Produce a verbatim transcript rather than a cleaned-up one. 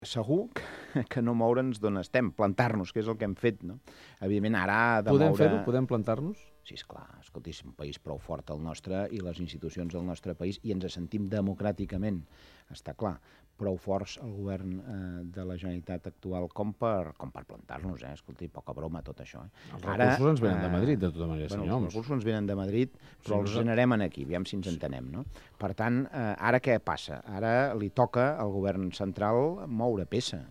segur que no moure'ns d'on estem, plantar-nos, que és el que hem fet, no? Evidentment, ara ha de Podem moure... fer-ho? Podem plantar-nos? Sí, esclar, escolti, és un país prou fort el nostre i les institucions del nostre país i ens sentim democràticament, està clar, prou forts el govern eh, de la Generalitat actual com per, com per plantar-nos, eh? Escolti, poca broma tot això. Eh? Els recursos Ara, ens venen de Madrid, de tota manera, bueno, senyor Els recursos ens venen de Madrid, però sí, els generem aquí, aviam si ens entenem, no? Per tant, eh, ara què passa? Ara li toca al govern central moure peça.